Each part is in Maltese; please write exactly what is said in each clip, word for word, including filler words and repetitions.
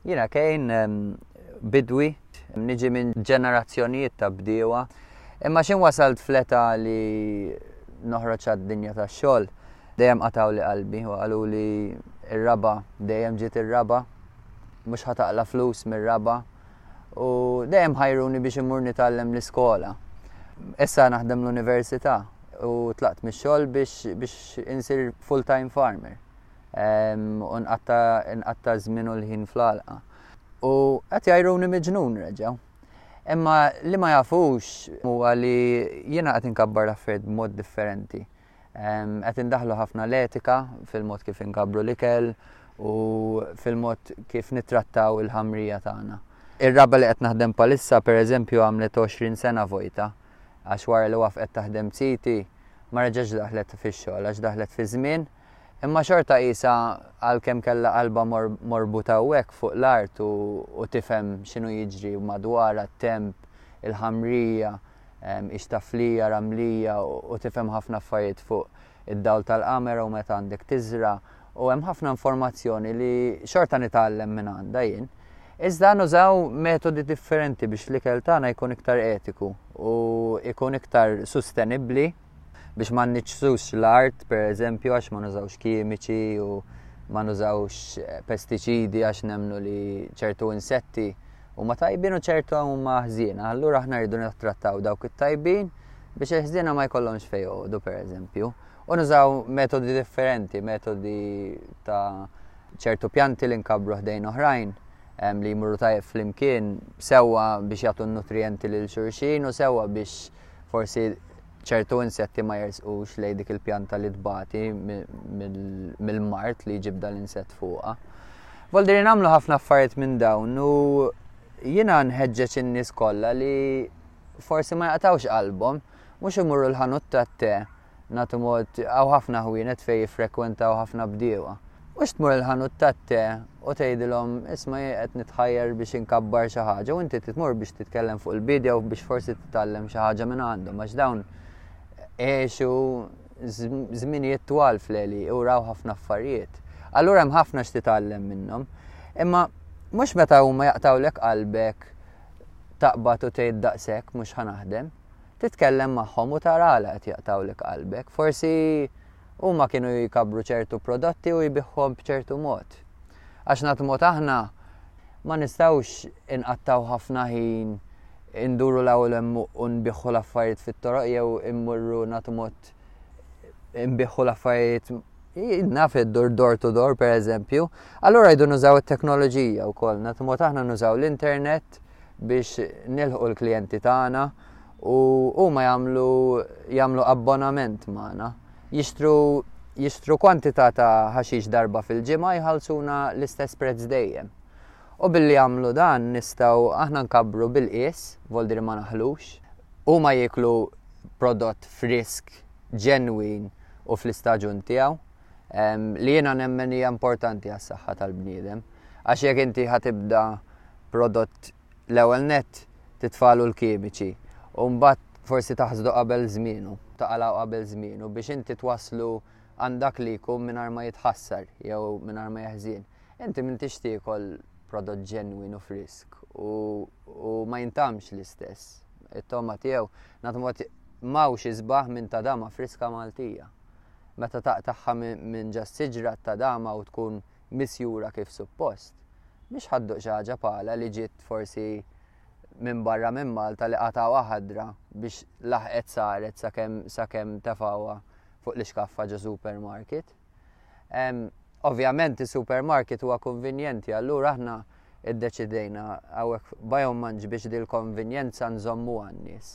Jiena Kane bidwi, niġi minn ġenerazzjonijiet ta' bdiewa, imma x'ħin wasalt fl-età li noħroġ għad-dinja tax-xogħol, dejjem qatgħuli qalbi u qalu li r-raba' dejjem ġiet ir-raba', mhux ħa taqla' flus mir-raba' u dejjem ħajruni biex immur nitgħallem l-iskola. Issa naħdem l-università u tlaqt mix-xogħol biex biex insir full-time farmer. U nqatta' żmien u l-ħin fl-għalqa. U qed jgħajruni miġnun reġgħu. Imma li ma jafux huwa li jiena qed inkabbar l-affarijiet b'mod differenti. Qed indaħlu ħafna l-etika fil-mod kif inkabbru l-ikel u fil-mod kif nittrattaw il-ħamrija tagħna. Ir-raba li qed naħdem bħalissa pereżempju għamlet għoxrin sena vojta, għax wara li waqfet taħdem siti ma reġgħetx daħlet fix-xogħol għax daħlet fi żmien. Imma xorta qisha għalkemm kellha qalba morbuta hawnhekk fuq l-art u tifhem x'inhu jiġri madwarha, t-temp, il-ħamrija, hix taflija, ramlija u tifhem ħafna affarijiet fuq id-dawl tal-qamar u meta għandek tiżra u hemm ħafna informazzjoni li xorta nitgħallem minn għandha jien. Iżda nużaw metodi differenti biex l-ikel tagħna jkun iktar etiku u jkun iktar sostenibbli biex ma nniġġsux l-art, per eżempju, għax ma nużawx kimiċi u ma nużawx pestiċidi għax nemmnu li ċertu insetti huma tajbin u ċertu huma ħżiena. Allura aħna rridu nittrattaw dawk it-tajbin biex il-ħżiena ma jkollhomx fejn joqogħdu, per eżempju. U nużaw metodi differenti, metodi ta' ċertu pjanti li nkabbru ħdejn oħrajn li jmurru tajjeb flimkien, sewwa biex jagħtu n-nutrijenti lil xulxin u sewwa biex forsi ċertu insetti ma jersqux lejn dik il-pjanta li tbati mill-mard li jġib dal-insett fuqha. Voldiri nagħmlu ħafna affarijiet minn dawn u jiena nħeġġeġ in-nies kollha li forsi ma jaqtgħux qalbhom, mhux imorru l-ħanut tat-te, nagħtu mod hawn ħafna ħwienet fejn jiffrekwentaw ħafna bdiewa. Mhux tmur il-ħanut tat-te u tgħidilhom isma' jien qed nitħajjar biex inkabbar xi ħaġa u inti tmur biex titkellem fuq il-bidja u biex forsi titgħallem xi ħaġa minn għandhom għax dawn għexu żminijiet twal fl-għeli u raw ħafna affarijiet. Allura hemm ħafna x'titgħallem minnhom. Imma mhux meta huma jaqtgħulek qalbek taqbad u tgħid daqshekk mhux ħa naħdem. Titkellem magħhom u tara għala qed jaqtgħulek qalbek. Forsi huma kienu jkabbru ċertu prodotti u jbiħħuhom b'ċertu mod. Għax nagħtu mod aħna ma nistgħux inqattgħu ħafna ħin induru l-ewwel hemm u nbiħħu l-affarijiet fit-toroq jew immurru nagħtu mod nbiħħu l-affarijiet naf iddur door to door per eżempju. Allura jridu nużaw it-teknoloġija wkoll, nagħtu mod aħna nużaw l-internet biex nilħqu l-klijenti tagħna u huma jagħmlu jagħmlu abbonament magħna. Jixtru jixtru kwantità ta' ħaxix darba fil-ġimgħa jħallsuna l-istess prezz dejjem. U billi jagħmlu dan nistgħu aħna nkabbru bil-qies, voldiri ma naħlux, huma jieklu prodott frisk, ġenwin u fl-istaġun tiegħu, li jiena nemmen hija importanti għas-saħħa tal-bniedem. Għax jekk inti ħa tibda prodott l-ewwel nett titfalu l-kimiċi u mbagħad forsi taħsdu qabel żmienu, taqalgħu qabel żmienu biex inti twaslu għandak li jkun mingħajr ma jitħassar jew mingħajr ma jeħżien. Inti m'intix tiekol prodott ġenwin u frisk u, u ma jintamx l-istess. It-toma tiegħu nagħtu mod m'hawnx isbaħ minn tadama friska Maltija. Meta taqtagħha minn ġa siġra tadama u tkun misjura kif suppost. Mhix ħa dduq xi ħaġa pala li ġiet forsi minn barra minn Malta li qatgħuha ħadra biex laħqet saret sakemm sakemm tefgħuha fuq l-iskaffa ġo supermarket. Ovvjament is-supermarket huwa konvenjenti, allura aħna iddeċidejna hawnhekk Biomunch biex dil-konvenjenza nżommu għan-nies.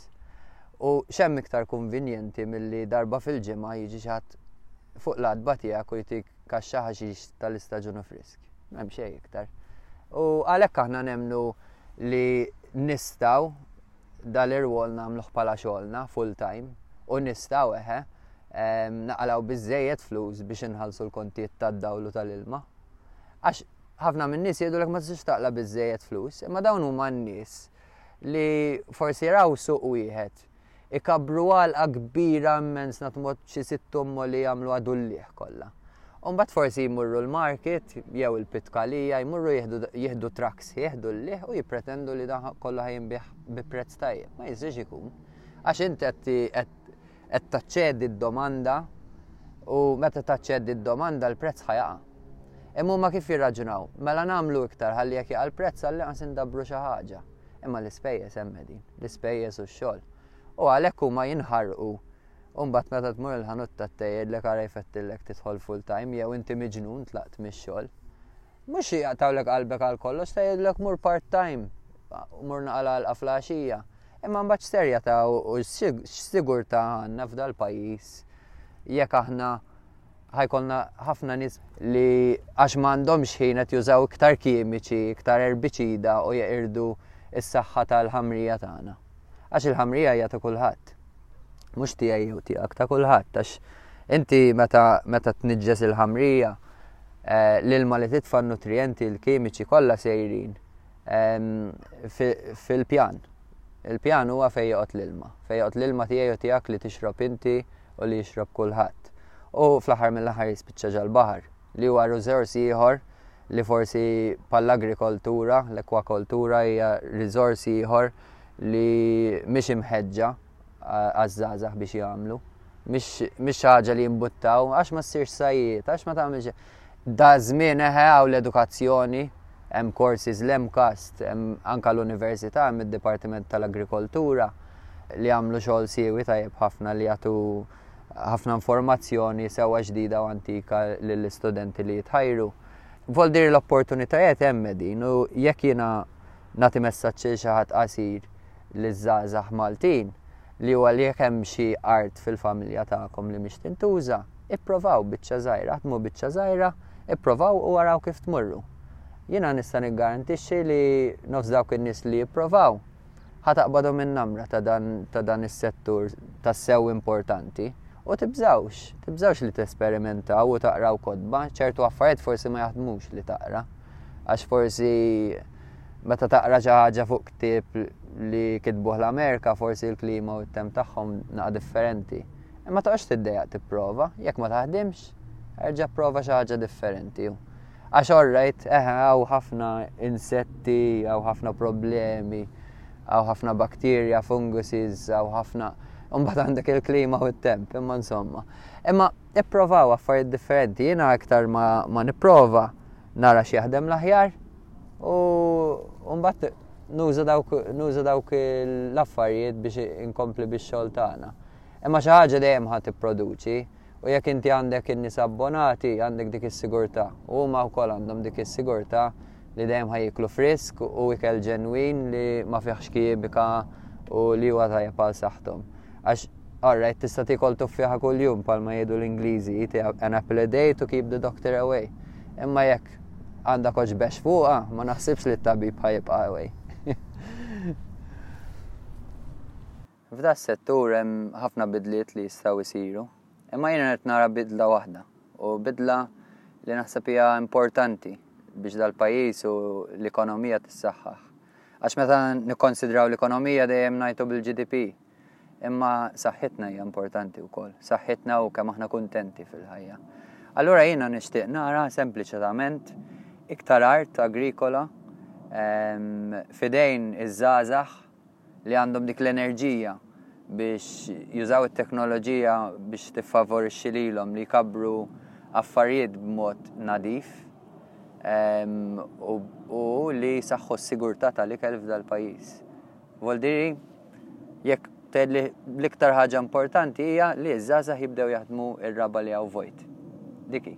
U x'hemm iktar konvenjenti milli darba fil-ġimgħa jiġi xi ħadd fuq l-għatba tiegħek u jtik kaxxa ħaxix tal-istaġun frisk. M'hemm xejn iktar. U għalhekk aħna nemmnu li nistgħu dal-irwol nagħmluh bħala xogħolna full time u nistgħu eħe naqalgħu biżżejjed flus biex inħallsu l-kontijiet tad-dawl u tal-ilma. Għax ħafna min-nies jgħidulek ma tistax taqla' biżżejjed flus, imma dawn huma n-nies li forsi raw suq wieħed ikabbru għalqa kbira immens nagħtu mod xi sitt li jagħmlu għadullieħ kollha. U mbagħad forsi jmurru l-market jew il-Pitkalija, jmurru jieħdu trucks, jieħdu l-liħ u jippretendu li dan kollu ħa jinbiegħ bi prezz tajjeb. Ma jistax ikun. Għax inti qed taċċedi d-domanda u meta taċċedi d-domanda, l-prezz ħa jaqa'. Imma huma kif jirraġunaw? Mela nagħmlu iktar ħalli jekk jaqa' l-prezz għallinqas indabbru xi ħaġa. Imma l-ispejjeż hemm din, l-ispejjeż u x-xogħol. U għalhekk huma jinħarqu. U mbagħad meta tmur il-ħanut tat-tgħidlek, "Ara jfettillek tidħol full time" jew "Inti miġnun, tlaqt mix-xogħol." Mhux jaqtawlek qalbek għal kollox, tgħidlek, "Mur part time, mur naqla għalqa filgħaxija." Imma mbagħad x'serjetà u x'sigurtà għandna f'dal-pajjiż jekk aħna ħa jkollna ħafna nies li għax m'għandhomx ħin qed jużaw iktar kimiċi, iktar erbiċida u jeqirdu s-saħħa tal-ħamrija tagħna? Għax il-ħamrija hija ta' kulħadd. Mhux tiegħi jew tiegħek, ta' kulħadd, għax inti meta meta tniġġes il-ħamrija, eh, l-ilma li titfa', nutrienti, l-kimiċi kollha sejrin ehm, fil-pjan. Il-pjan huwa fejn joqgħod l-ilma. Fejn joqgħod l-ilma tiegħi u tiegħek, li tixrob inti u li jixrob kulħadd. U fl-aħħar mill-aħħar jispiċċa ġol-baħar, li huwa riżors ieħor li forsi bħall-agrikoltura, l-akwakultura hija riżors ieħor li mhix imħeġġa għaż-żgħażagħ biex jagħmlu. Mhix ħaġa li jimbuttaw, għax ma ssirx sajjied, għax ma tagħmilx. Da żmien eħe hawn l-edukazzjoni, hemm courses l-MCAST, hemm anka l-università, hemm id-Dipartiment tal-Agrikoltura li għamlu xogħol siewi tajjeb ħafna, li jagħtu ħafna informazzjoni sewa ġdida u antika lill-istudenti li jitħajru. Voldir l-opportunitajiet hemm din, u jekk jiena nagħti messaġġ lil xi ħadd qasir, liż-żgħażagħ Maltin, li huwa li jekk hemm xi art fil-familja tagħkom li mhix tintuża, ipprovaw biċċa żgħira, ħdmu biċċa żgħira, ipprovaw u waraw kif tmurru. Jiena nista' niggarantixxi li nofs dawk in-nies li jipprovaw ħa taqbadhom in-namra ta' dan, ta' dan is-settur tassew importanti. U tibżawx, tibżawx li tesperimentaw u taqraw kotba, ċertu affarijiet forsi ma jaħdmux li taqra. Għax forsi meta taqra xi ħaġa fuq ktieb li kitbuh l-Amerika, forsi l-klima u t-temp tagħhom naqa differenti. Imma toqgħodx tiddejjaq tipprova, jekk ma taħdimx, erġa' prova xi ħaġa differenti. Għax alright, eħe, hawn ħafna insetti, hawn ħafna problemi, hawn ħafna bakterja, funguses, hawn ħafna. Mbagħad għandek il-klima u t-temp, imma insomma. Imma ipprovaw affarijiet differenti, jiena aktar ma, ma nipprova nara x'jaħdem l-aħjar u mbagħad nuża dawk nuża dawk l-affarijiet biex inkompli bix-xogħol tagħna. Imma xi ħaġa dejjem ħa tipproduċi u jekk inti għandek in-nies abbonati, għandek dik is-sigurtà. U huma wkoll għandhom dik is-sigurtà li dejjem ħa jieklu frisk u ikel ġenwin li ma fihx kimika u li huwa tajjeb għal saħħthom. Għax alright, tista' tiekol tuffieħa kuljum, bħalma jgħidu l-Ingliżi, "Eat an apple a day to keep the doctor away." Imma jekk għandek oġbex fuqha, ma naħsibx li t-tabib ħa jibqa' away. F'da settur hemm ħafna bidliet li jistgħu jsiru. Imma jiena qed nara bidla waħda u bidla li naħseb hija importanti biex dal-pajjiż u l-ekonomija tissaħħaħ. Għax meta nikkonsidraw l-ekonomija dejjem ngħidu bil-G D P. Imma saħħitna hija importanti wkoll. Saħħitna u kemm aħna kuntenti fil-ħajja. Allura jiena nixtieq nara sempliċement iktar art agrikola f'idejn iż-żgħażagħ li għandhom dik l-enerġija biex jużaw it-teknoloġija biex tiffavorixxi lilhom li jkabru affarijiet b'mod nadif u, u li saħħu s-sigurtà tal-ikel f'dal-pajjiż. Voldiri, jekk tgħidli, l-iktar ħaġa importanti hija li ż-żgħażagħ jibdew jaħdmu ir-raba li hawn vojt. Diki.